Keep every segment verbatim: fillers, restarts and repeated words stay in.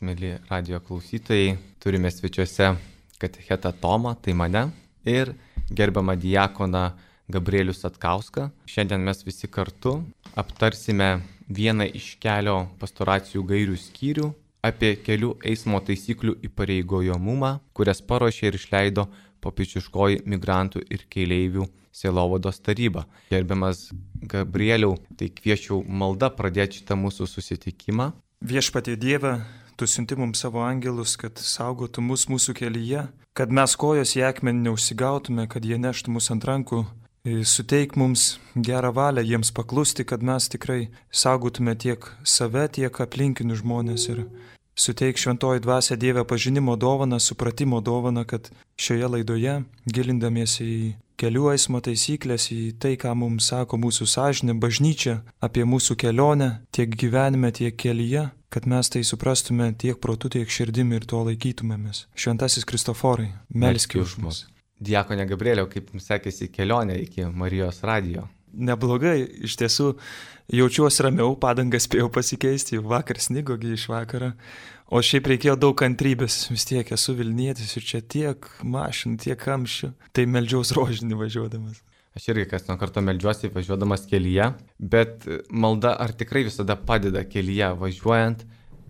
Mėly radijo klausytojai, turime svečiuose katechetą Tomą, tai mane, ir gerbiamą diakoną Gabrielių Satkauską. Šiandien mes visi kartu aptarsime vieną iš kelio pastoracijų gairių skyrių apie kelių eismo taisyklių įpareigojamumą, kurias paruošė ir išleido popiežiškoji migrantų ir keleivių sielovados taryba. Gerbiamas Gabrieliau, tai kviečiau malda pradėti šitą mūsų susitikimą. Viešpatie Dieve, Tu siunti mums savo angelus, kad saugotų mus mūsų kelyje, kad mes kojos į akmenį neužsigautume, kad jie neštų mus ant rankų. Suteik mums gerą valią jiems paklusti, kad mes tikrai saugotume tiek save, tiek aplinkinių žmonės. Ir suteik šventoji dvasia Dieve pažinimo dovaną, supratimo dovaną, kad šioje laidoje, gilindamiesi į kelių eismo taisyklės, į tai, ką mums sako mūsų sąžinė, bažnyčia, apie mūsų kelionę, tiek gyvenime, tiek kelyje, kad mes tai suprastume tiek protu, tiek širdimi ir to laikytumėmės. Šventasis Kristoforai, melski už mus. Diakone Gabrieliau, kaip jums sekėsi kelionė iki Marijos radijo? Neblogai, iš tiesų jaučiuosi ramiau, padangas spėjau pasikeisti, jau vakar snigogi iš vakaro, o šiaip reikėjo daug kantrybės, vis tiek esu Vilnietis ir čia tiek mašinų, tiek kamščių, tai meldžiaus rožinį važiuodamas. Aš irgi kas nuo karto meldžiuosi važiuodamas kelyje, bet malda ar tikrai visada padeda kelyje važiuojant,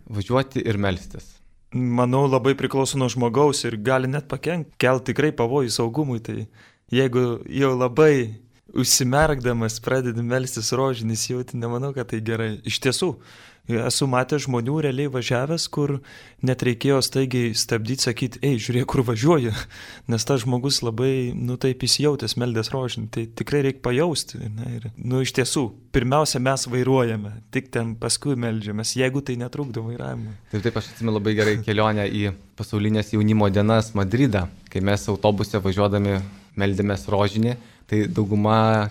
važiuoti ir melstis? Manau, labai priklauso nuo žmogaus ir gali net pakenkti, kelti tikrai pavojų saugumui, tai jeigu jau labai užsimerkdamas pradedi melstis rožinį jauti, nemanau, kad tai gerai. Iš tiesų, esu matęs žmonių realiai važiavęs, kur net reikėjo staigiai stabdyti, sakyti, ei, žiūrėk, kur važiuoju, nes tas žmogus labai, nu taip įsijautęs meldės rožinį, tai tikrai reikia pajausti. Ne? Ir, nu iš tiesų, pirmiausia mes vairuojame, tik ten paskui meldžiamės, jeigu tai netrukdo vairavimui. Taip, taip, aš atsimenu labai gerai kelionę į pasaulinės jaunimo dienas Madridą, kai mes autobuse važiuodami meldėmės rožinį, tai dauguma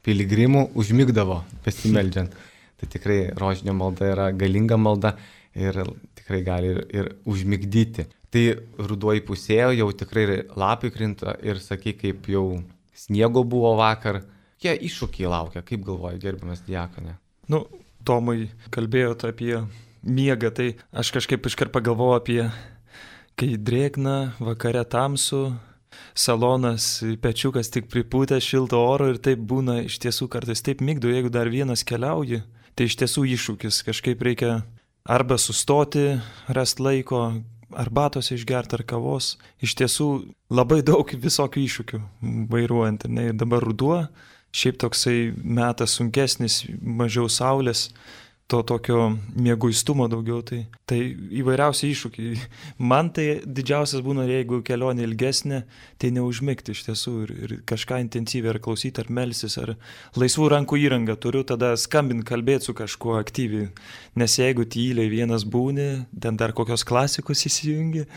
piligrimų užmigdavo besimeldžiant. Tai tikrai rožinio malda yra galinga malda ir tikrai gali ir, ir užmigdyti. Tai ruduo įpusėjo, jau tikrai lapai krinta ir sakai, kaip jau sniego buvo vakar. Jie iššūkiai laukia, kaip galvoji, gerbiamas diakone? Nu, Tomai, kalbėjote apie miegą, tai aš kažkaip iškart pagalvojau apie, kai drėgna, vakare tamsu, salonas, pečiukas tik pripūtęs šilto oro ir taip būna iš tiesų kartais taip migdo, jeigu dar vienas keliauji. Tai iš tiesų iššūkis, kažkaip reikia arba sustoti, rasti laiko, arbatos išgerti ar kavos. Iš tiesų labai daug visokių iššūkių vairuojant. Ne? Ir dabar ruduo, šiaip toksai metas sunkesnis, mažiau saulės, to tokio mieguistumo daugiau, tai, tai įvairiausi iššūkiai. Man tai didžiausias būna, jeigu kelionė ilgesnė, tai neužmigti iš tiesų ir, ir kažką intensyviai ar klausyti, ar melsis, ar laisvų rankų įrangą turiu, tada skambint, kalbėti su kažkuo aktyviai. Nes jeigu tyliai vienas būni, ten dar kokios klasikos įsijungi,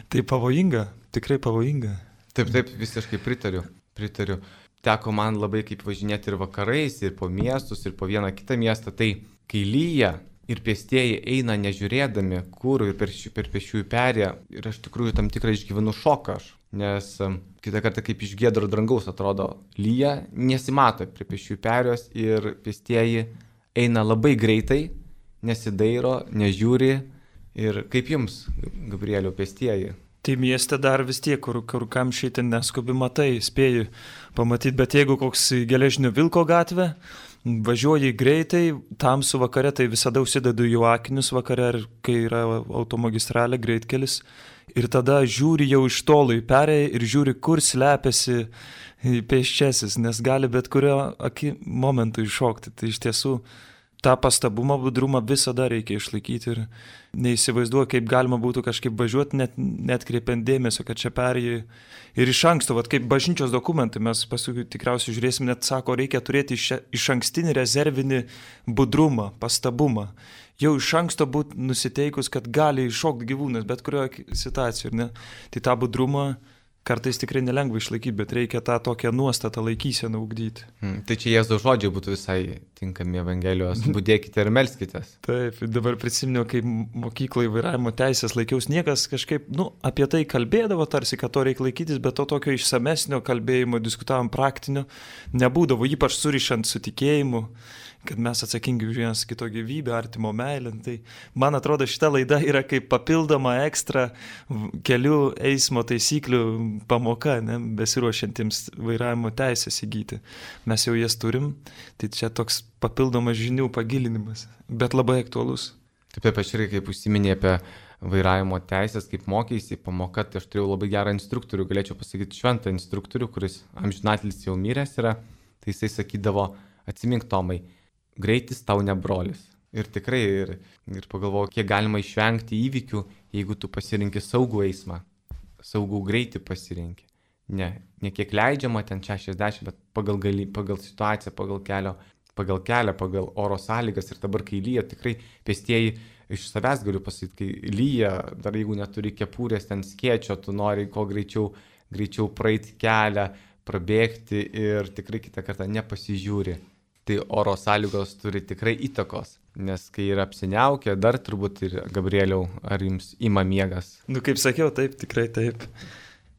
tai pavojinga, tikrai pavojinga. Taip, taip, visiškai pritariu, pritariu. Teko man labai kaip važinėti ir vakarais, ir po miestus, ir po vieną kitą miestą, tai kai lyja ir pėstieji eina nežiūrėdami, kur ir per, per pėsčiųjų perėją, ir aš tikrųjų tam tikrą išgyvenu šoką aš, nes um, kitą kartą kaip iš giedro dangaus atrodo lyja, nesimato prie pėsčiųjų perėjos ir pėstieji eina labai greitai, nesidairo, nežiūri. Ir kaip jums, Gabrieliau, pėstieji? Tai mieste dar vis tiek, kur, kur kamščiai ten neskubi matai, spėju pamatyti, bet jeigu koks geležinio vilko gatvė, važiuoji greitai, tamsu vakare, tai visada užsidedu jų akinius vakare, kai yra automagistralė, greitkelis, ir tada žiūri jau iš tolo į perėją ir žiūri, kur slepiasi pėsčiasis, nes gali bet kurio aki momentu iššokti. Tai iš tiesų tą pastabumą, budrumą visada reikia išlaikyti ir neįsivaizduoju, kaip galima būtų kažkaip važiuoti, net, net kreipiant dėmesio, kad čia perėjai. Ir iš anksto, vat, kaip bažnyčios dokumentai, mes paskui tikriausiai žiūrėsim, net sako, reikia turėti iš, iš ankstinį rezervinį budrumą, pastabumą. Jau iš anksto būti nusiteikus, kad gali iššokti gyvūnas, bet kurioje situacijoje. Ne? Tai tą budrumą kartais tikrai nelengva išlaikyti, bet reikia tą tokią nuostatą laikyseną ugdyti. Hmm, tai čia Jėzaus žodžiai būtų visai tinkami Evangelijos, budėkite ir melskitės. Taip, dabar prisiminiau, kai mokyklai vairavimo teisės laikiaus, niekas kažkaip, nu, apie tai kalbėdavo tarsi, kad to reikia laikytis, bet to tokio išsamesnio kalbėjimo, diskutavom praktinio, nebūdavo, ypač surišant su tikėjimu. kad mes atsakingi už vienas kito gyvybę, artimo meilę. Tai man atrodo, šita laida yra kaip papildoma ekstra kelių eismo taisyklių pamoka, ne, besiruošiantiems vairavimo teisės įgyti. Mes jau jas turim, tai čia toks papildomas žinių pagilinimas, bet labai aktualus. Taip, taip, aš irgi kaip užsiminė apie vairavimo teisės, kaip mokeisi pamoka, tai aš turėjau labai gerą instruktorių, galėčiau pasakyti šventą instruktorių, kuris amžinatlis jau miręs yra, tai jisai sakydavo, atsimink Tomai, greitis tau ne brolis. Ir tikrai, ir, ir pagalvojau, kiek galima išvengti įvykių, jeigu tu pasirinki saugų eismą, saugų greitį pasirinki. Ne, ne kiek leidžiama ten šešiasdešimt, bet pagal, gali, pagal situaciją, pagal kelio, pagal kelią, pagal oro sąlygas. Ir dabar, kai lyja, tikrai pėstieji iš savęs galiu pasakyti, kai lyja, dar jeigu neturi kepurės, ten skėčio, tu nori kuo greičiau, greičiau praeiti kelią, prabėgti ir tikrai kitą kartą nepasižiūri. Tai oro sąlygos turi tikrai įtakos, nes kai yra apsiniaukę, dar turbūt ir Gabrieliau, ar jums ima miegas? Nu, kaip sakiau, taip, tikrai taip.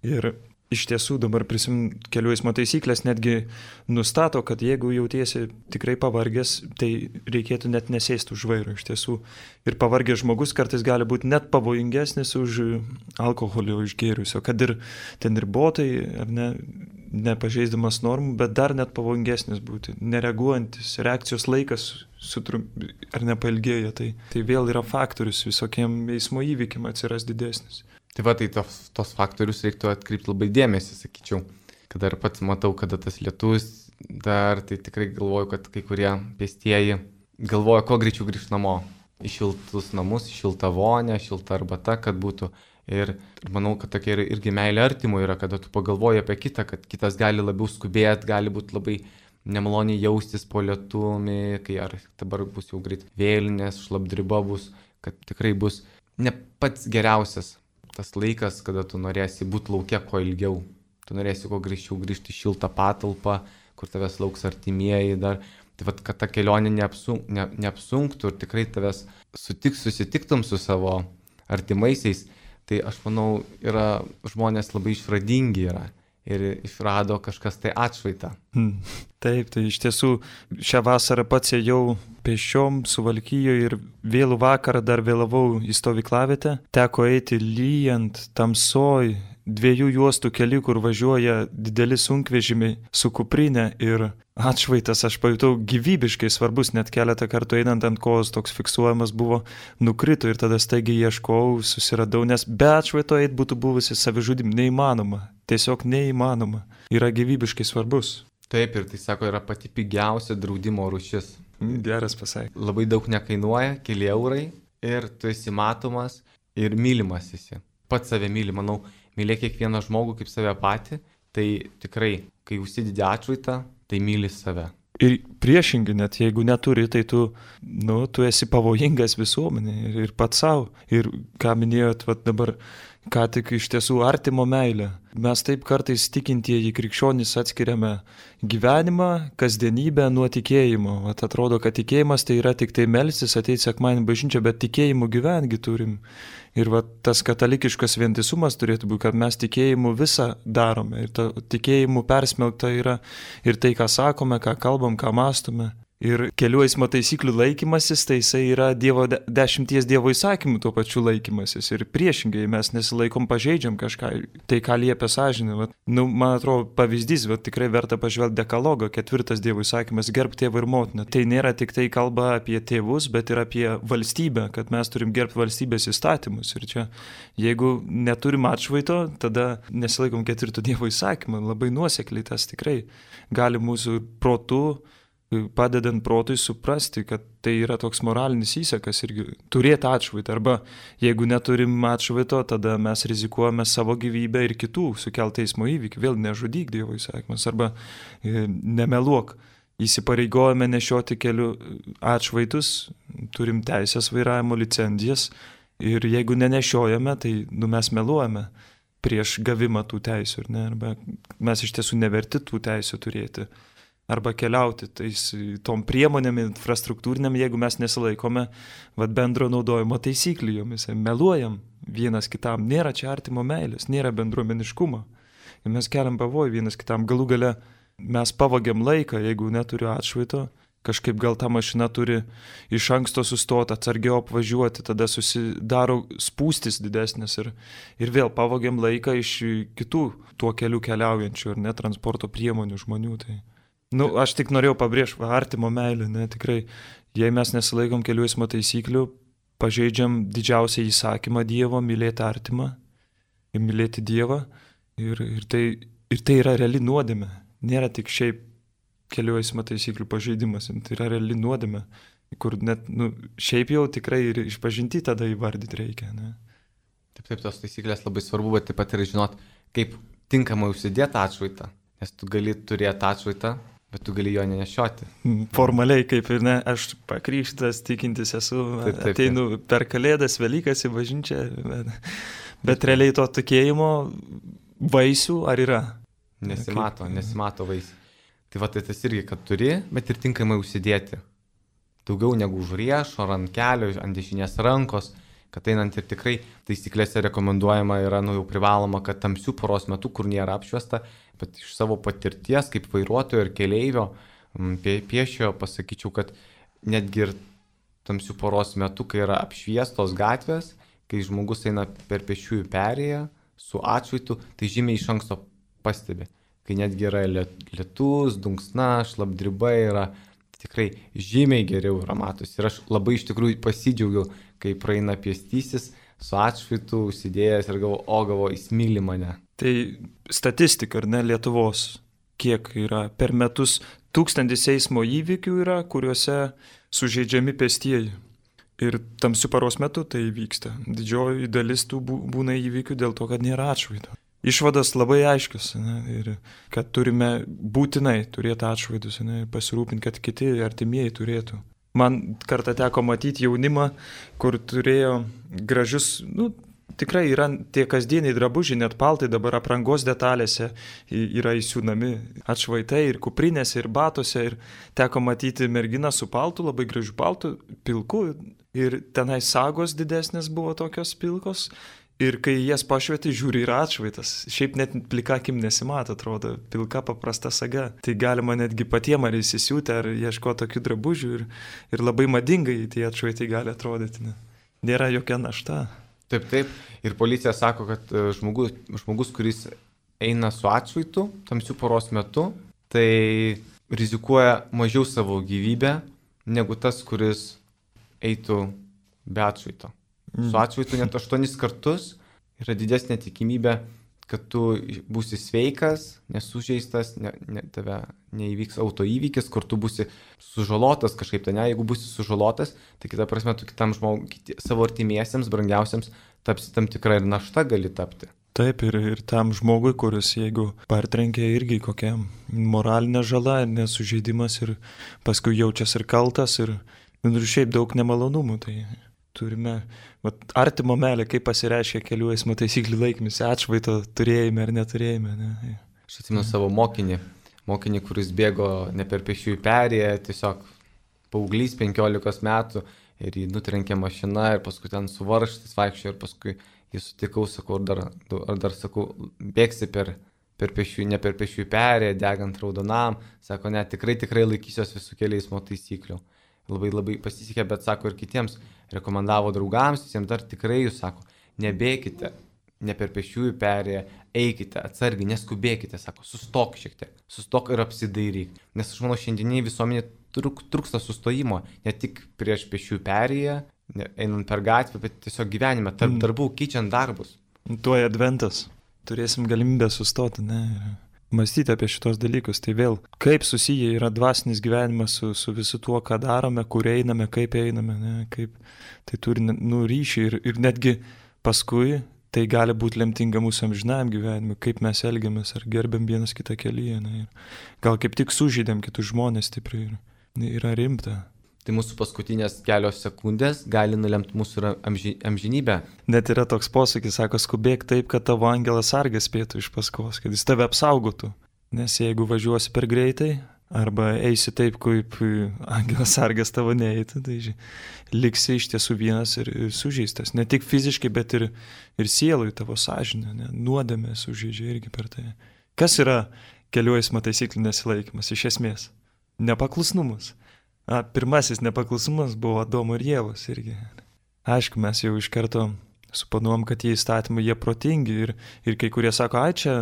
Ir iš tiesų dabar prisim kelių eismo taisyklės netgi nustato, kad jeigu jautiesi tikrai pavargęs, tai reikėtų net nesėsti už vairo iš tiesų. Ir pavargęs žmogus kartais gali būti net pavojingesnis už alkoholio išgėriusio, kad ir ten ir botai, ar ne, nepažeisdamas normų, bet dar net pavojingesnis būti, nereaguojantis, reakcijos laikas sutrum, ar nepailgėja, tai, tai vėl yra faktorius visokiem eismo įvykiam atsiras didesnis. Tai va, tai tos, tos faktorius reiktų atkreipti labai dėmesį, sakyčiau. Kada ir pats matau, kada tas lietus, dar tai tikrai galvoju, kad kai kurie pėstieji galvoja, kuo greičiau grįžti namo. Į šiltus namus, į šiltą vonę, šiltą arbatą, kad būtų. Ir manau, kad tokia ir, irgi meilė artimo yra, kada tu pagalvoji apie kitą, kad kitas gali labiau skubėti, gali būti labai nemaloniai jaustis po lietumi, kai ar dabar bus jau greit vėlinės, šlapdriba bus, kad tikrai bus ne pats geriausias tas laikas, kada tu norėsi būti laukia kuo ilgiau. Tu norėsi kuo greičiau grįžti į šiltą patalpą, kur tavęs lauks artimieji dar. Tai vat, kad ta kelionė neapsunk, ne, neapsunktų ir tikrai tavęs sutik, susitiktum su savo artimaisiais, tai aš manau, yra žmonės labai išradingi yra. Ir išrado kažkas tai atšvaitą. Hmm. Taip, tai iš tiesų šią vasarą pats ėjau pėsčiom Suvalkijoje ir vėlų vakarą dar vėlavau į stovyklavietę. Teko eiti lyjant, tamsoj, dviejų juostų kelių, kur važiuoja dideli sunkvežimiai su kuprinė ir atšvaitas, aš pajutau gyvybiškai svarbus, net keletą kartų einant ant kojos toks fiksuojamas buvo, nukrito ir tada staigiai ieškojau, susiradau, nes be atšvaito eit būtų buvusi savižudyb neįmanoma. Tiesiog neįmanoma. Yra gyvybiškai svarbus. Taip, ir tai sako, yra pati pigiausia draudimo rūšis. Geras pasakymas. Labai daug nekainuoja, keli eurai ir tu esi matomas ir mylimas esi. Pats save myli, manau, mylėk kiekvieną žmogų kaip save patį, tai tikrai, kai užsidedi atšvaitą, tai myli save. Ir priešingai, net jeigu neturi, tai tu, nu, tu esi pavojingas visuomenė ir, ir pats savo. Ir ką minėjot, vat dabar, ką tik iš tiesų artimo meilę. Mes taip kartais tikintieji krikščionys atskiriame gyvenimą, kasdienybę nuo tikėjimo. Vat atrodo, kad tikėjimas tai yra tik tai melstis, ateiti sekmadienį bažnyčią, bet tikėjimu gyvengi turim. Ir vat tas katalikiškas vientisumas turėtų būti, kad mes tikėjimu visą darome. Ir ta tikėjimu persmelkta yra ir tai, ką sakome, ką kalbam, ką mąstome. Ir kelių eismo taisyklių laikymasis, tai jisai yra dievo, de, dešimties dievo įsakymų tuo pačiu laikymasis. Ir priešingai mes nesilaikom, pažeidžiam kažką, tai ką liepia sąžinė. Vat, nu, man atrodo, pavyzdys, bet tikrai verta pažvelgti dekalogą, ketvirtas dievo įsakymas, gerb tėvą ir motiną. Tai nėra tik tai kalba apie tėvus, bet ir apie valstybę, kad mes turim gerbti valstybės įstatymus. Ir čia, jeigu neturim atšvaito, tada nesilaikom ketvirto dievo įsakymą. Labai nuosekliai tas tikrai gali mūsų protu, padedant protui suprasti, kad tai yra toks moralinis įsakas irgi turėti atšvaitą. Arba jeigu neturim atšvaito, tada mes rizikuojame savo gyvybę ir kitų sukeltą eismo įvykį. Vėl nežudyk dievo įsakymas. Arba e, nemeluok. Įsipareigojame nešioti kelių atšvaitus, turim teisės vairavimo licenzijas ir jeigu nenešiojame, tai nu, mes meluojame prieš gavimą tų teisių. Ne? Arba mes iš tiesų neverti tų teisių turėti. Arba keliauti tais, tom priemonėm infrastruktūrinėm, jeigu mes nesilaikome vat, bendro naudojimo taisyklių jomis. Meluojam vienas kitam, nėra čia artimo meilės, nėra bendruomeniškumo. Ir mes keliam pavojų vienas kitam. Galų gale mes pavagiam laiką, jeigu neturiu atšvaito, Kažkaip gal ta mašina turi iš anksto sustoti, atsargiau apvažiuoti, tada susidaro spūstis didesnės ir, ir vėl pavogiam laiką iš kitų tuo keliu keliaujančių ir net transporto priemonių žmonių. Tai, nu, aš tik norėjau pabrėžti, artimo meilę, ne, tikrai, jei mes nesilaikom kelių eismo taisyklių, pažeidžiam didžiausią įsakymą Dievo, mylėti artimą ir mylėti Dievą ir, ir, tai, ir tai yra reali nuodėmė, nėra tik šiaip kelių eismo taisyklių pažeidimas, tai yra reali nuodėmė, kur net, nu, šiaip jau tikrai ir išpažinti tada įvardyti reikia. Ne? Taip, taip, tos taisyklės labai svarbu, bet taip pat ir žinot, kaip tinkamai užsidėti atšvaitą, nes tu gali turėti atšvaitą, bet tu gali jo nenešioti. Formaliai, kaip ir ne, aš pakrikštas, tikintis esu, taip, taip, ateinu taip. Per Kalėdas, Velykas į bažnyčią, bet, bet realiai to tikėjimo vaisių ar yra? Nesimato, kaip... nesimato vaisių. Tai va, tai tas irgi, kad turi, bet ir tinkamai užsidėti. Daugiau negu už riešo, ar ant kelio, ant dešinės rankos, kad einant ir tikrai taisyklėse rekomenduojama yra, nu jau privaloma, kad tamsių paros metu, kur nėra apšviesta, bet iš savo patirties, kaip vairuotojo ir keleivio, pie, piešio, pasakyčiau, kad netgi ir tamsių paros metu, kai yra apšviestos gatvės, kai žmogus eina per pėsčiųjų perėją su atšvaitu, tai žymiai iš anksto pastebi. Kai netgi yra lietus, dunksna, šlapdriba yra, tikrai žymiai geriau yra matosi. Ir aš labai iš tikrųjų pasidžiaugiau, kai praeina pėstysis su atšvaitu, užsidėjęs ir galvo, o galvo, jis myli mane. Tai statistika, ar ne, Lietuvos, kiek yra per metus tūkstantis eismo įvykių yra, kuriuose sužeidžiami pėstieji. Ir tamsiu paros metu tai vyksta. Didžioji dalis tų būna įvykių dėl to, kad nėra atšvaito. Išvadas labai aiškios, ne, ir kad turime būtinai turėti atšvaidus, ne, ir pasirūpinti, kad kiti artimieji turėtų. Man kartą teko matyti jaunimą, kur turėjo gražius, nu, tikrai yra tie kasdieniai drabužiai, net paltai dabar aprangos detalėse yra įsiūnami atšvaitai ir kuprinėse, ir batose, ir teko matyti merginą su paltu, labai gražiu paltu, pilku, ir tenai sagos didesnės buvo tokios pilkos. Ir kai jas pašvieti, žiūri, yra atšvaitas. Šiaip net plika akim nesimato, atrodo, pilka paprasta saga. Tai galima netgi patiem ar įsisiūti, ar ieško tokių drabužių ir, ir labai madingai tie atšvaitai gali atrodyti. Ne? Nėra jokia našta. Taip, taip. Ir policija sako, kad žmogus, žmogus kuris eina su atšvaitu tamsių paros metu, tai rizikuoja mažiau savo gyvybę, negu tas, kuris eitų be atšvaito. Su atšvaitu net aštuonis kartus yra didesnė tikimybė, kad tu būsi sveikas, nesužeistas, ne, ne, tave neįvyks autoįvykis, kur tu būsi sužalotas kažkaip, tai ne, jeigu būsi sužalotas, tai kita prasme, tu kitam žmogui, kiti, savo artimiesiems, brangiausiams, tapsi tam tikra ir našta gali tapti. Taip, ir, ir tam žmogui, kuris jeigu partrenkia irgi kokia moralinė žala, nesužeidimas ir paskui jaučiasi ir kaltas ir, ir šiaip daug nemalonumų, tai... Turime, vat, artimo meilė, kaip pasireiškia kelių eismo taisyklių laikymas, atšvaito turėjime ar neturėjime. Ne? Aš atsimenu savo mokinį, mokinį, kuris bėgo ne per pėsčiųjų perėją, tiesiog paauglys penkiolikos metų ir jį nutrenkė mašina ir paskui ten suvaržtis vaikščiojo ir paskui jį sutikau, sakau, ar dar, ar dar sakau, bėgsi per, per pėsčiųjų, ne per pėsčiųjų perėją, degant raudonam, sako, ne, tikrai, tikrai laikysiuos visų kelių eismo taisyklių. Labai labai pasisekė, bet sako ir kitiems, rekomendavo draugams, visiems dar tikrai jūs sako, nebėkite, ne per pėsčiųjų perėją, eikite, atsargiai, neskubėkite, sako, sustok šiek tiek, sustok ir apsidairyk. Nes aš manau, šiandieniai visuomenė truk, trūksta sustojimo, ne tik prieš pėsčiųjų perėją, einant per gatvę, bet tiesiog gyvenime, tarp darbų, keičiant darbus. Tuoj adventas, turėsim galimybę sustoti, ne? Mąstyti apie šitos dalykus, tai vėl, kaip susiję yra dvasinis gyvenimas su, su visu tuo, ką darome, kur einame, kaip einame, ne, kaip tai turi nu, ryšį ir, ir netgi paskui tai gali būti lemtinga mūsų amžinajam gyvenimui, kaip mes elgiamės, ar gerbėm vienas kitą kelyje, ne, ir gal kaip tik sužydėm kitus žmonės stipriai ir yra rimta. Tai mūsų paskutinės kelios sekundės gali nulemti mūsų amži, amžinybę. Net yra toks posakis, sako, skubėk taip, kad tavo angelas sargas spėtų iš paskos, kad jis tave apsaugotų. Nes jeigu važiuosi per greitai, arba eisi taip, kaip angelas sargas tavo neeitų, tai ži, liksi iš tiesų vienas ir, ir sužeistas. Ne tik fiziškai, bet ir, ir sielui tavo sąžinė, ne, nuodėmė sužeidžia irgi per tai. Kas yra kelių eismo taisyklių nesilaikymas iš esmės? Nepaklusnumas. A, pirmasis nepaklusumas buvo Adomo ir Ievos irgi. Aišku, mes jau iš karto suponuom, kad tie įstatymai jie protingi ir, ir kai kurie sako, ai čia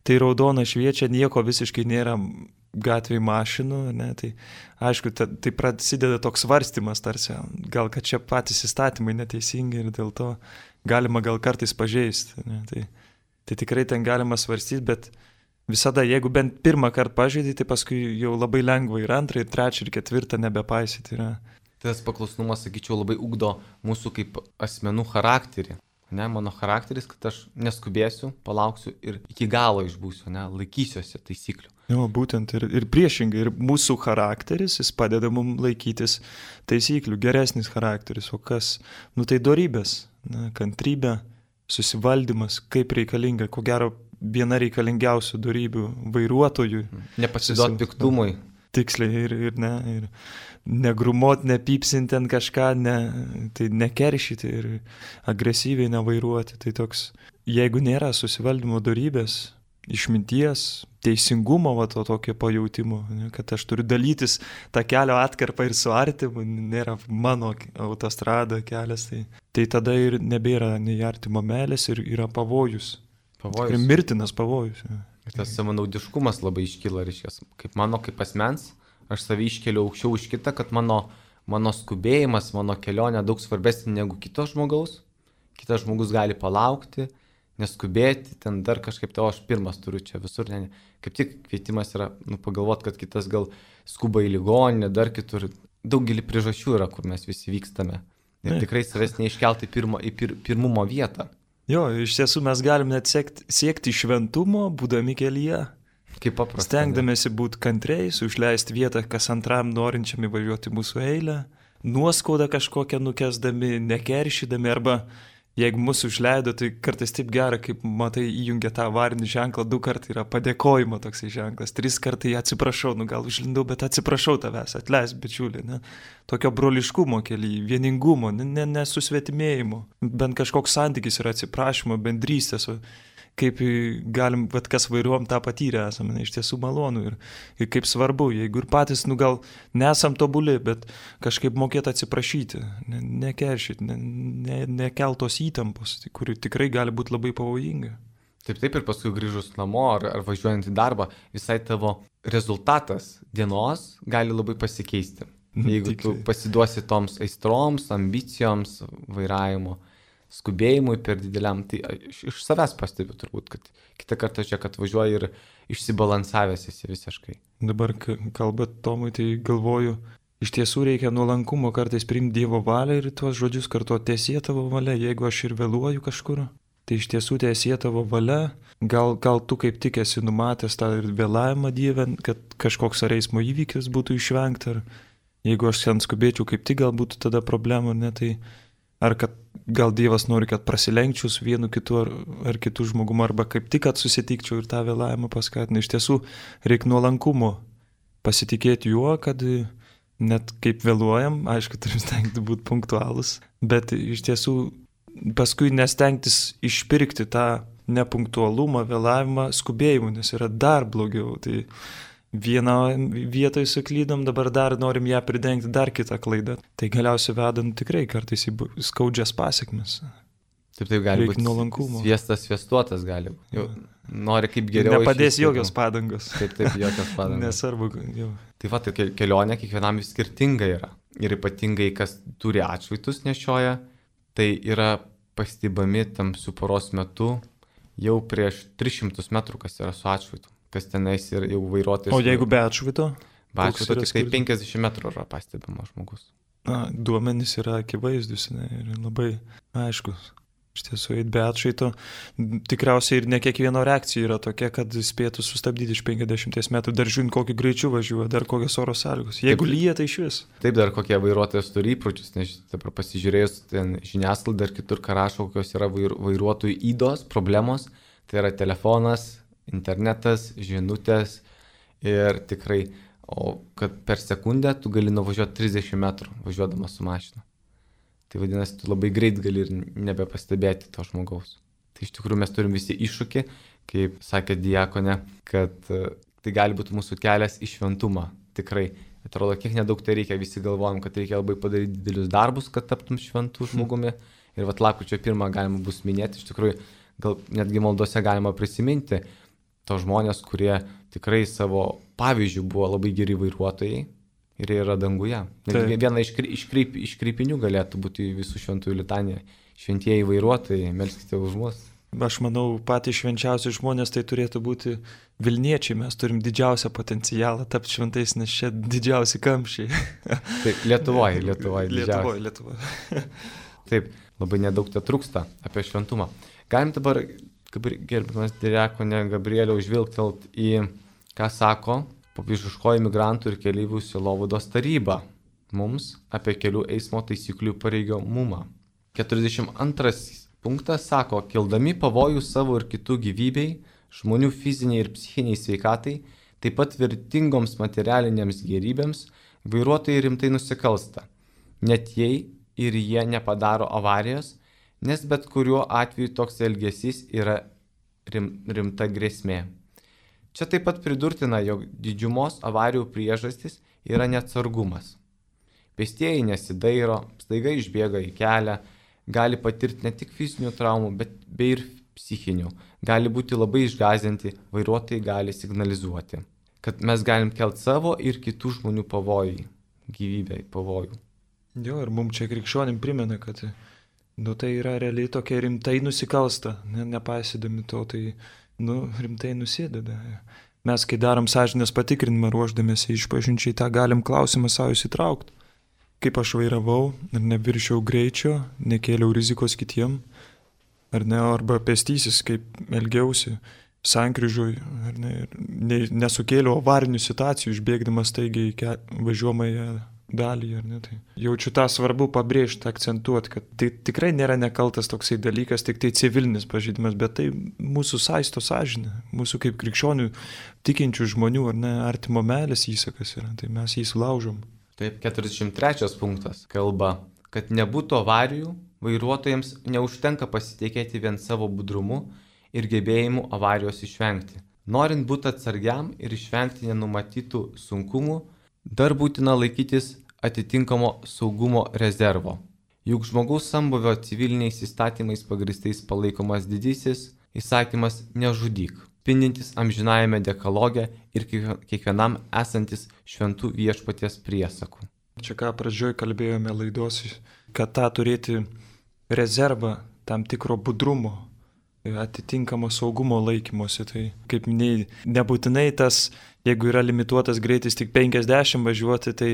tai raudona šviečia, nieko visiškai nėra gatvėje mašinų, ne, tai aišku, ta, tai prasideda toks svarstymas tarsi, gal kad čia patys įstatymai neteisingi ir dėl to galima gal kartais pažeisti, ne, tai, tai tikrai ten galima svarstyti, bet visada, jeigu bent pirmą kartą pažeidai, tai paskui jau labai lengva ir antrą, ir trečią, ir ketvirtą nebepaisyti yra. Tas paklusnumas, sakyčiau, labai ugdo mūsų kaip asmenų charakterį. Ne, mano charakteris, kad aš neskubėsiu, palauksiu ir iki galo išbūsiu, ne, laikysiuosi taisyklių. Jo, būtent ir, ir priešingai, ir mūsų charakteris, jis padeda mums laikytis taisyklių, geresnis charakteris, o kas, nu tai dorybės, ne, kantrybė, susivaldymas, kaip reikalinga, ko gero viena reikalingiausių dorybių vairuotojui. Nepasiduot piktumui. Tiksliai ir, ir, ne, ir negrumot, nepypsinti ant kažką, ne, tai nekeršyti ir agresyviai nevairuoti. Tai toks, jeigu nėra susivaldymo dorybės, išminties, teisingumo, va, to tokio pajautimo, ne, kad aš turiu dalytis tą kelio atkarpą ir su artimu, nėra mano autostrada kelias, tai, tai tada ir nebėra nei artimo meilės ir yra pavojus. Pavojus. Ir mirtinas pavojus. Ja. Tas savanaudiškumas labai iškyla, reiškia, kaip mano kaip asmens, aš savį iškeliu aukščiau už kitą, kad mano, mano skubėjimas, mano kelionė daug svarbesnė negu kito žmogaus. Kitas žmogus gali palaukti, neskubėti, ten dar kažkaip tai, o aš pirmas turiu čia visur. Ne, ne. Kaip tik kvietimas yra, nu, pagalvoti, kad kitas gal skuba į ligoninę, dar kitur. Daugelį priežasčių yra, kur mes visi vykstame. Ir ne. Tikrai savęs neiškelti pirmo, į pir, pirmumo vietą. Jo, iš tiesų mes galim net siekti, siekti šventumo, būdami kelyje. Kaip paprasta. Stengdamėsi būti kantriais, užleisti vietą kas antram norinčiam įvažiuoti mūsų eilę, nuoskaudą kažkokią nukesdami, nekeršydami, arba jeigu mūsų užleido, tai kartais taip gera, kaip matai įjungia tą avarinį ženklą, du kartai yra padėkojimo toksai ženklas, tris kartai atsiprašau, nu gal užlindau, bet atsiprašau tavęs, atleisk bičiuli, ne? Tokio broliškumo kelyje, vieningumo, nesusvetimėjimo, ne, bent kažkoks santykis yra atsiprašymo, bendrystės, kaip galim, bet kas vairuom tą patyrę esame, ne, iš tiesų malonu ir, ir kaip svarbu, jeigu ir patys, nu gal nesam tobuli, bet kažkaip mokėti atsiprašyti, ne, nekeršyti, ne, ne, nekeltos įtampos, kuri tikrai gali būti labai pavojinga. Taip, taip ir paskui grįžus namo ar, ar važiuojant į darbą, visai tavo rezultatas dienos gali labai pasikeisti. Jeigu tu pasiduosi toms aistroms, ambicijoms, vairavimo, skubėjimui per dideliam, tai iš, iš savęs pastebiu turbūt, kad kitą kartą čia, kad važiuoji ir išsibalansavęs esi visiškai. Dabar kalbant Tomui, tai galvoju, iš tiesų reikia nuolankumo kartais priimti Dievo valią ir tuos žodžius kartuoti, tiesie tavo valia, jeigu aš ir vėluoju kažkur, tai iš tiesų tiesie tavo valia, gal, gal tu kaip tik esi numatęs tą ir vėlavimą Dievę, kad kažkoks ar eismo įvykis būtų išvengta, ar jeigu aš ten skubėčiau, kaip tik gal būtų tada problemų, ne, tai ar kad gal Dievas nori, kad prasilenkčiau su vienu kitu ar, ar kitu žmogumu, arba kaip tik, kad susitikčiau ir tą vėlavimą paskatina. Iš tiesų, reikia nuolankumo pasitikėti juo, kad net kaip vėluojam, aišku, turim stengti būti punktualus, bet iš tiesų paskui nestengtis išpirkti tą nepunktualumą, vėlavimą skubėjimu, nes yra dar blogiau. Tai vieną vietoj suklydom, dabar dar norim ją pridengti dar kitą klaidą. Tai galiausiai vedant tikrai kartais į skaudžias pasiekmes. Taip, taip gali būti. Nuolankumo. Sviestas, sviestuotas gali būti. Jau nori kaip geriau. Nepadės jokios padangos. Taip, taip, jokios padangos. Nesvarbu. Jau. Taip pat kelionė kiekvienam vis skirtinga yra. Ir ypatingai, kas turi atšvaitus nešioja, tai yra pastebami tamsių paros metu jau prieš tris šimtus metrų, kas yra su atšvaitu. Kas tenais ir jau vairuotojas. O jeigu be atšvaito? Be atšvaito tik tai penkiasdešimt metrų yra pastebimas žmogus. Na, duomenys yra akivaizdus, ne, ir labai aiškus. Iš tiesų, be atšvaito tikriausiai ir ne kiekvieno reakcija yra tokia, kad spėtų sustabdyti iš penkiasdešimt metrų, dar žiūrint, kokiu greičiu važiuoja, dar kokios oro sąlygos. Jeigu taip, lyja, tai iš vis. Taip, dar kokie vairuotojas turi įpročius, nes dabar pasižiūrėjus ten žiniasklaidą dar kitur, ką rašo, kokios yra vairuotojų ydos, problemos, tai yra telefonas, internetas, žinutės ir tikrai, o kad per sekundę tu gali nuvažiuoti trisdešimt metrų važiuodamas su mašina. Tai vadinasi, tu labai greit gali ir nebepastebėti to žmogaus. Tai iš tikrųjų mes turim visi iššūkį, kaip sakė diakonė, kad tai gali būti mūsų kelias į šventumą. Tikrai Atrodo, kiek nedaug tai reikia, visi galvojam, kad reikia labai padaryti didelius darbus, kad taptum šventų žmogumi. Ir vat lapkričio pirmą galima bus minėti, iš tikrųjų, gal netgi maldose galima prisiminti to žmonės, kurie tikrai savo pavyzdžių buvo labai geri vairuotojai ir jie yra danguje. Netgi viena iš, iškreip, iškreipinių galėtų būti visų šventųjų litanija. Šventieji vairuotojai, melskite už mus. Aš manau, patys švenčiausi žmonės tai turėtų būti Vilniečiai. Mes turim didžiausią potencialą tapti šventais, nes čia didžiausi kamščiai. Taip, Lietuvoje, Lietuvoje. Lietuvoje, Lietuvoje. Taip, labai nedaug te trūksta apie šventumą. Galim dabar, gerbiamas diakonė Gabrieliau, žvilgtelt į, ką sako popiežiškoji migrantų ir keleivių sielovados taryba mums apie kelių eismo taisyklių pareigomumą. keturiasdešimt antras punktas sako, kildami pavojų savo ir kitų gyvybei, žmonių fiziniai ir psichiniai sveikatai, taip pat vertingoms materialinėms gerybėms, vairuotojai rimtai nusikalsta, net jei ir jie nepadaro avarijos, nes bet kuriuo atveju toks elgesys yra rim, rimta grėsmė. Čia taip pat pridurtina, jog didžiumos avarijų priežastis yra neatsargumas. Pėstieji nesidairo, staiga išbėga į kelią, gali patirti ne tik fizinių traumų, bet bei ir psichinių. Gali būti labai išgąsdinti, vairuotojai gali signalizuoti, kad mes galim kelt savo ir kitų žmonių pavojai, gyvybei pavojų. Jo, ir mums čia krikščionim primena, kad nu, tai yra realiai tokia rimtai nusikalsta, ne, nepaisydami to, tai nu, rimtai nusideda. Mes, kai darom sąžinės patikrinimą ruoždamėsi išpažinčiai, tą galim klausimą savo įsitraukti. Kaip aš vairavau, ar neviršiau greičio, nekėliau rizikos kitiem, ar ne, arba pėstysis, kaip elgiausi sankryžui, ar ne, ne, nesukėliau avarinių situacijų, išbėgdamas taigiai į važiuojamąją dalį, ar ne. Tai jaučiu tą svarbu pabrėžti, akcentuoti, kad tai tikrai nėra nekaltas toksai dalykas, tik tai civilinis pažeidimas, bet tai mūsų saisto sąžinė, mūsų kaip krikščionių tikinčių žmonių, ar ne, artimo meilės įsakas yra, tai mes jį sulaužom. Taip, keturiasdešimt trečias punktas kalba, kad nebūtų avarijų, vairuotojams neužtenka pasitikėti vien savo budrumu ir gebėjimu avarijos išvengti. Norint būti atsargiam ir išvengti nenumatytų sunkumų, dar būtina laikytis atitinkamo saugumo rezervo. Juk žmogaus sambuvio civiliniais įstatymais pagrįstais palaikomas didysis įsakymas nežudyk, spindintis amžinajame dekaloge ir kiekvienam esantis šventų viešpaties priesakų. Čia ką pradžioj kalbėjome laidos, kad tą turėti rezervą tam tikro budrumo, atitinkamo saugumo laikymosi. Tai kaip minėjai, nebūtinai tas, jeigu yra limituotas greitis tik penkiasdešimt važiuoti, tai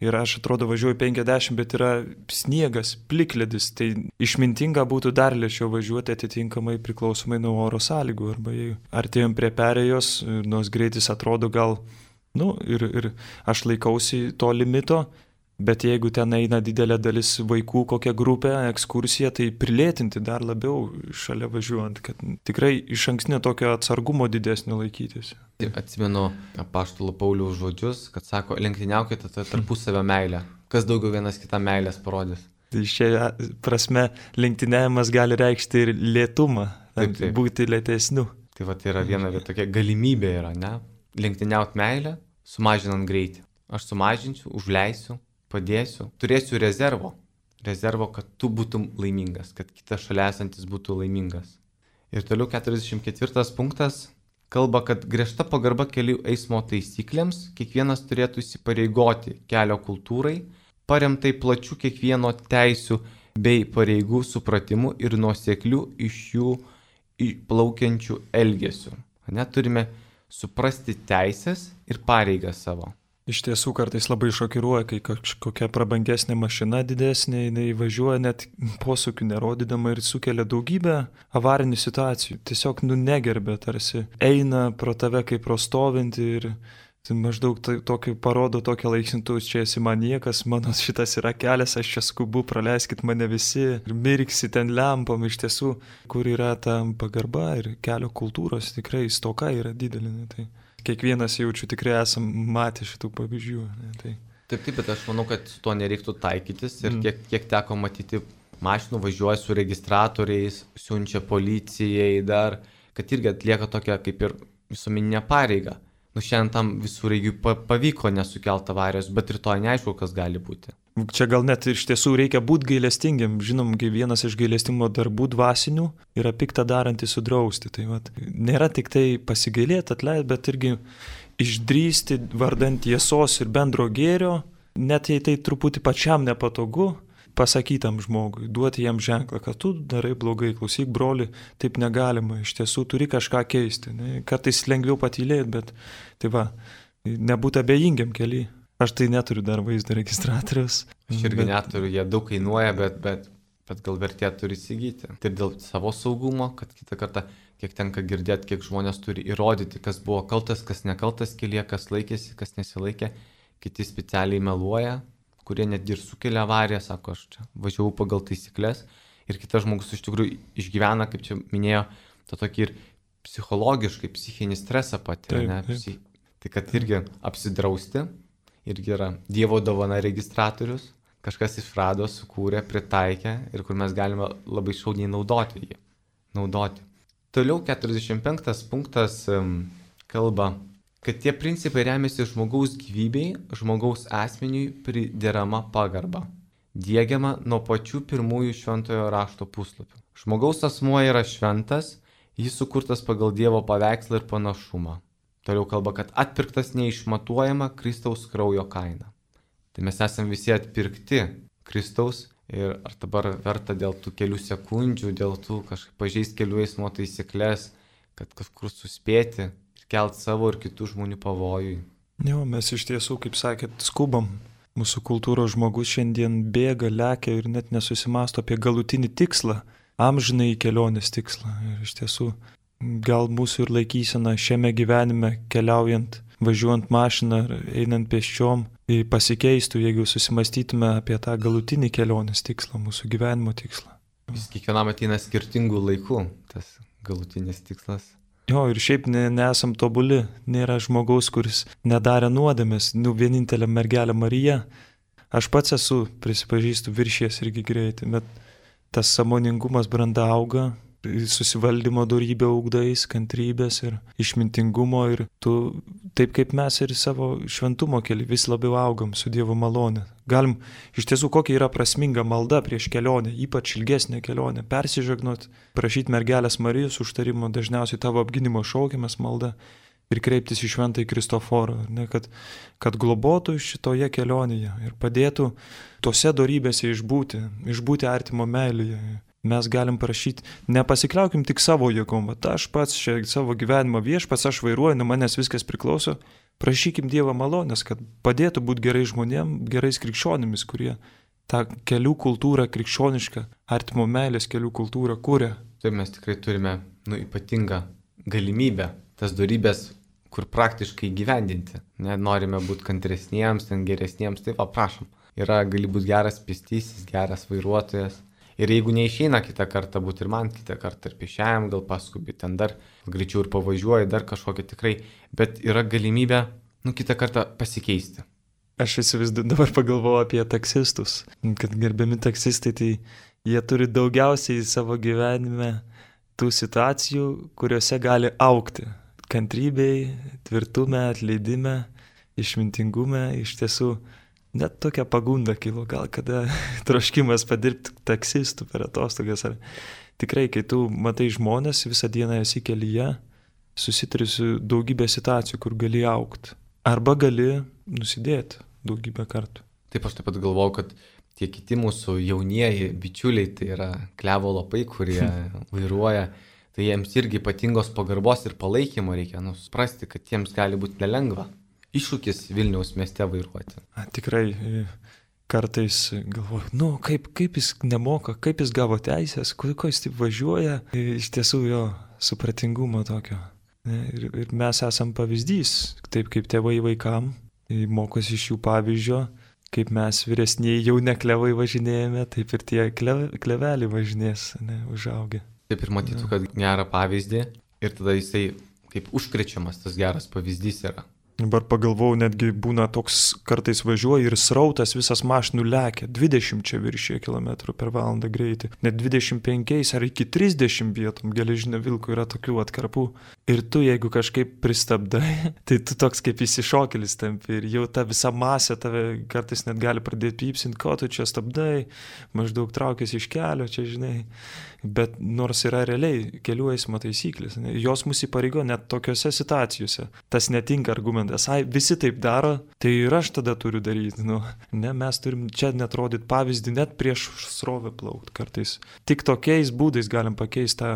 ir aš atrodo važiuoju penkiasdešimt, bet yra sniegas, plikledis, tai išmintinga būtų dar lėčiau važiuoti atitinkamai priklausomai nuo oro sąlygų. Arba jei artėjom prie perėjos, nors greitis atrodo gal, nu ir, ir aš laikausi to limito, bet jeigu ten eina didelė dalis vaikų, kokia grupė, ekskursija, tai prilėtinti dar labiau šalia važiuojant, kad tikrai iš ankstinio tokio atsargumo didesnio laikytis. Atsimenu apaštalo Pauliaus žodžius, kad sako, lenktyniaukite tarpusavio meilę. Kas daugiau vienas kitam meilės parodys? Tai šia prasme lenktyniavimas gali reikšti ir lėtumą, taip, taip. Būti lėtesniu. Tai va, tai yra viena tokia galimybė yra, ne? Lenktyniaut meilę, sumažinant greitį. Aš sumažinsiu, užleisiu, padėsiu, turėsiu rezervo, rezervo, kad tu būtum laimingas, kad kitas šalia esantis būtų laimingas. Ir toliau keturiasdešimt ketvirtas punktas kalba, kad griežta pagarba kelių eismo taisyklėms kiekvienas turėtų įsipareigoti kelio kultūrai, paremtai plačių kiekvieno teisių bei pareigų supratimu ir nuoseklių iš jų plaukiančių elgesių. Net turime suprasti teisės ir pareigas savo. Iš tiesų kartais labai šokiruoja, kai kažkokia prabangesnė mašina didesnė, jinai važiuoja net posūkių nerodydama ir sukelia daugybę avarinių situacijų. Tiesiog nu negerbė, tarsi eina pro tave kaip pro stovintį ir tai maždaug tai, tokį, parodo tokią laiksintų, čia esi man niekas, mano šitas yra kelias, aš čia skubu, praleiskit mane visi ir mirksi ten lempom. Iš tiesų, kur yra ta pagarba ir kelio kultūros, tikrai stoka yra didelė. Ne, tai kiekvienas jaučiu tikrai esam matę šitų pavyzdžių. Ne, tai. Taip, taip, bet aš manau, kad su to nereiktų taikytis ir kiek, kiek teko matyti mašinų važiuoja su registratoriais, siunčia policijai dar, kad irgi atlieka tokią kaip ir visuomeninę pareigą. nu šiandien tam visureigiui pavyko nesukelt avarijos, bet rytoj neaišku, kas gali būti. Čia gal net iš tiesų reikia būti gailestingiam. Žinom, kai vienas iš gailestingumo darbų dvasinių yra piktą darantį sudrausti. Tai vat, nėra tik tai pasigailėti, atleisti, bet irgi išdrįsti vardant tiesos ir bendro gėrio, net jei tai truputį pačiam nepatogu, pasakytam žmogui, duoti jam ženklą, kad tu darai blogai, klausyk broli, taip negalima, iš tiesų turi kažką keisti. Ne? Kartais lengviau patylėti, bet tai va, nebūti abejingiam keliui. Aš tai neturiu dar vaizdo registratorius. Aš irgi bet... neturiu, jie daug kainuoja, bet, bet, bet gal vertėtų turi įsigyti. Ir dėl savo saugumo, kad kitą kartą, kiek tenka girdėti, kiek žmonės turi įrodyti, kas buvo kaltas, kas nekaltas kelyje, kas laikėsi, kas nesilaikė, kiti specialiai meluoja, kurie netgi ir sukelia avariją, sako, aš čia važiavau pagal taisyklės ir kitas žmogus iš tikrųjų išgyvena, kaip čia minėjo, tą tokį ir psichologiškai, psichinį stresą patiria. Psi... Tai kad irgi apsidrausti, irgi yra Dievo dovana registratorius, kažkas išrado, sukūrė, pritaikė ir kur mes galime labai šauniai naudoti jį. Naudoti. Toliau keturiasdešimt penktas punktas um, kalba, kad tie principai remiasi žmogaus gyvybei, žmogaus asmeniui priderama pagarba, diegiama nuo pačių pirmųjų šventojo rašto puslapių. Žmogaus asmuo yra šventas, jis sukurtas pagal Dievo paveikslą ir panašumą. Toliau kalba, kad atpirktas neišmatuojama Kristaus kraujo kaina. Tai mes esame visi atpirkti Kristaus ir ar dabar verta dėl tų kelių sekundžių, dėl tų kažkaip pažeisti kelių eismo taisyklės, kad kažkur suspėti, kelt savo ir kitų žmonių pavojui. Jo, mes iš tiesų, kaip sakėt, skubam. Mūsų kultūros žmogus šiandien bėga, lekia ir net nesusimasto apie galutinį tikslą, amžinai kelionės tikslą. Ir iš tiesų, gal mūsų ir laikysena šiame gyvenime keliaujant, važiuojant mašiną ar einant pėsčiom, pasikeistų, jeigu susimastytume apie tą galutinį kelionės tikslą, mūsų gyvenimo tikslą. Vis kiekvienam ateina skirtingų laikų, tas galutinis tikslas. Jo, ir šiaip ne, nesam tobuli, nėra žmogaus, kuris nedarė nuodėmės, nu vienintelė mergelė Marija. Aš pats esu, prisipažįstu, viršės irgi greitai, bet tas sąmoningumas branda auga, susivaldymo dorybė ugdais, kantrybės ir išmintingumo ir tu, taip kaip mes ir savo šventumo keli, vis labiau augam su Dievo malone. Galim, iš tiesų, kokia yra prasminga malda prieš kelionę, ypač ilgesnė kelionė, persižegnot, prašyti mergelės Marijos užtarimo, dažniausiai tavo apginimo šaukiamas malda ir kreiptis į šventąjį Kristoforą, ne, kad, kad globotų šitoje kelionėje ir padėtų tose dorybėse išbūti, išbūti artimo meilėje. Mes galim prašyti, nepasikliaukim tik savo jėgom, bet aš pats čia savo gyvenimo viešpats, aš vairuoju, nuo manęs viskas priklauso. Prašykim Dievo malonės, kad padėtų būti gerai žmonėm, gerais krikščionimis, kurie tą kelių kultūrą, krikščionišką, artimo meilės kelių kultūrą kūrė. Taip mes tikrai turime nu, ypatingą galimybę tas dorybės, kur praktiškai gyvendinti. Norime būti kantresniems, ten geresniems, tai va, prašom. Yra, gali būti geras pėstysis, geras vairuotojas. Ir jeigu neišeina kitą kartą būti ir man kitą kartą ir pėsčiajam, gal paskubi, ten dar greičiau ir pavažiuoji, dar kažkokia tikrai, bet yra galimybė, nu, kitą kartą pasikeisti. Aš vis vis dabar pagalvoju apie taksistus, kad gerbiami taksistai, tai jie turi daugiausiai savo gyvenime tų situacijų, kuriuose gali augti. Kantrybei, tvirtume, atleidime, išmintingume, iš tiesų. Net tokia pagunda kilo, gal kada troškimas padirbti taksistų per atostogas. Ar tikrai, kai tu matai žmonės, visą dieną esi kelyje, susituri su daugybė situacijų, kur gali augti. Arba gali nusidėti daugybę kartų. Taip, aš taip pat galvoju, kad tie kiti mūsų jaunieji bičiuliai, tai yra klevo lapai, kurie vairuoja, tai jiems irgi ypatingos pagarbos ir palaikymo reikia, nu, suprasti, kad jiems gali būti nelengva. Iššūkis Vilniaus mieste vairuoti. A, tikrai kartais galvoju, nu kaip, kaip jis nemoka, kaip jis gavo teisės, ko jis taip važiuoja, iš tiesų jo supratingumo tokio. Ir, ir mes esam pavyzdys, taip kaip tėvai vaikam, mokosi iš jų pavyzdžio, kaip mes vyresniai jau ne klevai važinėjame, taip ir tie klev, kleveliai važinės, ne, užaugę. Taip ir matytų, kad gerą pavyzdį ir tada jisai kaip užkrečiamas tas geras pavyzdys yra. Dabar pagalvojau, netgi būna toks, kartais važiuoja ir srautas visas mašinų lekia, dvidešimt viršė kilometrų per valandą greitį, net dvidešimt penki ar iki trisdešimt vietom, geležinio vilko yra tokių atkarpų. Ir tu, jeigu kažkaip pristabdai, tai tu toks kaip įsišokėlis tampi ir jau ta visa masė tave kartais net gali pradėti pypsinti, ko tu čia stabdai, maždaug traukėsi iš kelio, čia žinai. Bet nors yra realiai kelių eismo taisyklės, ne, jos mus įpareigo net tokiose situacijose. Tas netinka argumentas, ai, visi taip daro, tai ir aš tada turiu daryti. Nu, ne, mes turim čia net rodyti pavyzdį, net prieš srovę plaukti kartais. Tik tokiais būdais galim pakeisti tą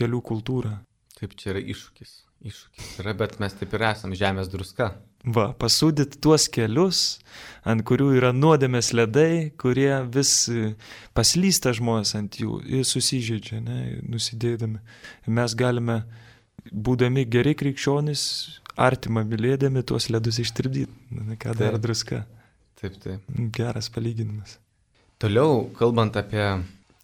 kelių kultūrą. Taip, čia yra iššūkis. Iššūkis yra, bet mes taip ir esam žemės druska. Va, pasūdyti tuos kelius, ant kurių yra nuodėmės ledai, kurie vis paslysta žmonės ant jų ir susižeidžia, ne, nusidėdami. Mes galime, būdami geri krikščionys, artimą mylėdami tuos ledus ištirpdyti. Ką daro druska. Taip, taip. Geras palyginimas. Toliau, kalbant apie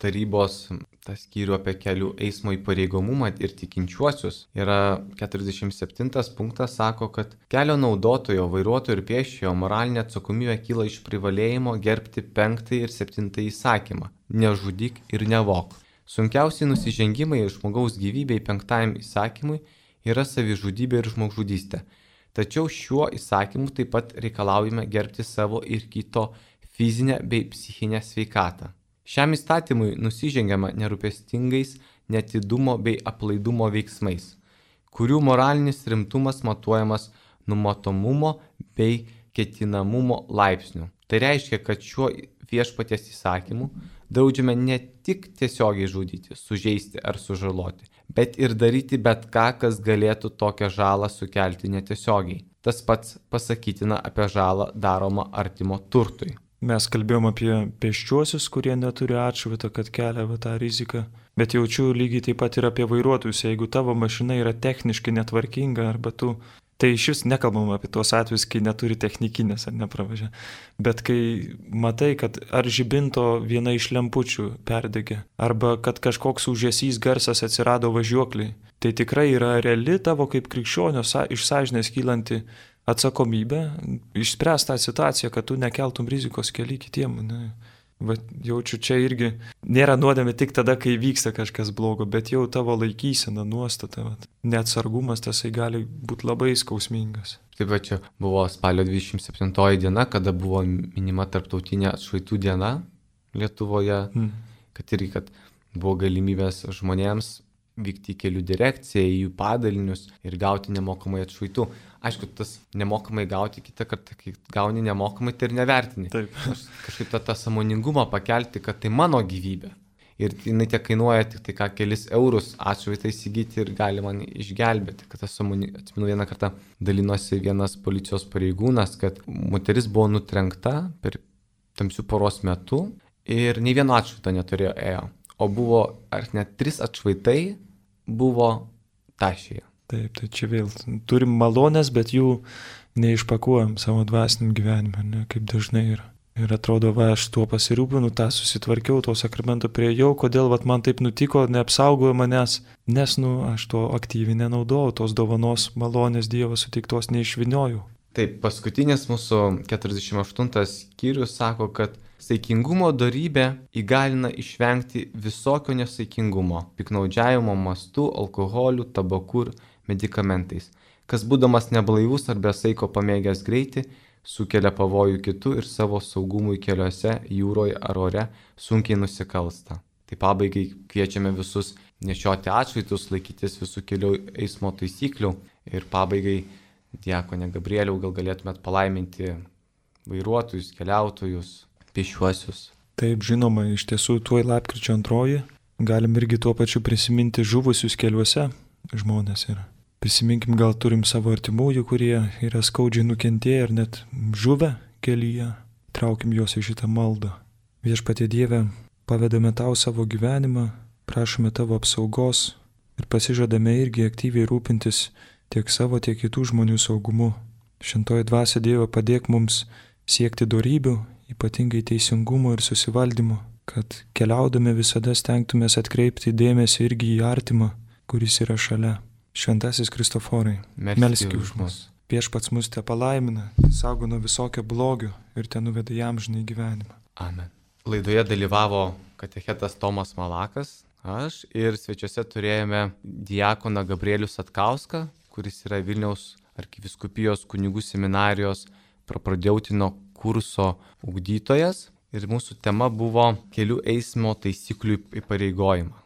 tarybos tą skyrių apie kelių eismo įpareigomumą ir tikinčiuosius, yra keturiasdešimt septintas punktas, sako, kad kelio naudotojo, vairuotojo ir pėsčiojo moralinė atsakomybė kyla iš privalėjimo gerbti penktąjį ir septintąjį įsakymą – nežudyk ir nevok. Sunkiausiai nusižengimai žmogaus gyvybei penktajam įsakymui yra savižudybė ir žmogžudystė. Tačiau šiuo įsakymu taip pat reikalaujame gerbti savo ir kito fizinę bei psichinę sveikatą. Šiam įstatymui nusižengiama nerūpestingais neatidumo bei aplaidumo veiksmais, kurių moralinis rimtumas matuojamas numatomumo bei ketinamumo laipsniu. Tai reiškia, kad šiuo viešpaties įsakymu draudžiame ne tik tiesiogiai žudyti, sužeisti ar sužaloti, bet ir daryti bet ką, kas galėtų tokią žalą sukelti netiesiogiai. Tas pats pasakytina apie žalą daromą artimo turtui. Mes kalbėjom apie pėsčiuosius, kurie neturi atšvaito, kad kelia va, tą riziką. Bet jaučiu lygiai taip pat ir apie vairuotojus. Jeigu tavo mašina yra techniškai netvarkinga arba tu... Tai iš vis nekalbam apie tuos atvejus, kai neturi technikinės ar nepravažia. Bet kai matai, kad ar žibinto viena iš lempučių perdegė, arba kad kažkoks užesys garsas atsirado važiuokliai, tai tikrai yra reali tavo kaip krikščionio iš sąžinės kylanti atsakomybė išspręs tą situaciją, kad tu nekeltum rizikos keli kitiem. Ne. Va, jaučiu, čia irgi nėra nuodėmė tik tada, kai vyksta kažkas blogo, bet jau tavo laikysena, nuostata, va. Neatsargumas tasai gali būti labai skausmingas. Taip pat čia buvo spalio dvidešimt septintoji diena, kada buvo minima tarptautinė atšvaitų diena Lietuvoje, hmm. kad irgi, kad buvo galimybės žmonėms vykti į kelių direkciją, į jų padalinius ir gauti nemokamai atšvaitų. Aišku, tas nemokamai gauti kitą kartą, kai gauni nemokamai, tai ir nevertini. Taip. Aš kažkaip tą, tą sąmoningumą pakelti, kad tai mano gyvybė. Ir jinai tiek kainuoja tik tai ką kelis eurus atšvaitą įsigyti ir gali man išgelbėti. Kad tas sąmoningumas, atsimenu vieną kartą dalinosi vienas policijos pareigūnas, kad moteris buvo nutrenkta per tamsių paros metu ir nei vieno atšvaito neturėjo ėjo. O buvo, ar net tris atšvaitai buvo tašėje. Taip, tai čia vėl turim malonės, bet jų neišpakuojam savo dvasiniam gyvenime, ne, kaip dažnai yra. Ir atrodo, va, aš tuo pasirūpinu, tą susitvarkiau, to sakramento priejau, kodėl va, man taip nutiko, neapsaugojo manęs, nes, nu, aš to aktyviai nenaudojau, tos dovanos malonės Dievo suteiktos neišviniojau. Taip, paskutinis mūsų keturiasdešimt aštuntas skyrius sako, kad saikingumo dorybė įgalina išvengti visokio nesaikingumo, piknaudžiavimo mastu, alkoholiu, tabaku ir medikamentais, kas būdamas neblaivus ar be saiko pamėgęs greitį, sukelia pavojų kitų ir savo saugumui keliuose, jūroje ar ore sunkiai nusikalsta. Tai pabaigai kviečiame visus nešioti atšvaitus, laikytis visų kelių eismo taisyklių ir pabaigai, diakone Gabrieliau, gal galėtumėt palaiminti vairuotojus, keliautojus, pėsčiuosius. Taip, žinoma, iš tiesų tuoj lapkričio antroji galim irgi tuo pačiu prisiminti žuvusius keliuose žmonės yra. Prisiminkim, gal turim savo artimųjų, kurie yra skaudžiai nukentėję ir net žuvę kelyje. Traukim juos į šitą maldą. Viešpatie Dieve, pavedame tau savo gyvenimą, prašome tavo apsaugos ir pasižadame irgi aktyviai rūpintis tiek savo, tiek kitų žmonių saugumu. Šventoji dvasia Dievo, padėk mums siekti dorybių, ypatingai teisingumo ir susivaldymo, kad keliaudami visada stengtumės atkreipti dėmesį irgi į artimą, kuris yra šalia. Šventasis Kristoforai, melski už mus. Viešpats mus te palaimina, saugo nuo visokio blogio ir te nuveda į amžinąjį gyvenimą. Amen. Laidoje dalyvavo katechetas Tomas Malakas, aš ir svečiuose turėjome diakoną Gabrielių Satkauską, kuris yra Vilniaus arkivyskupijos kunigų seminarijos proprodeutino kurso ugdytojas. Ir mūsų tema buvo kelių eismo taisyklių įpareigojimą.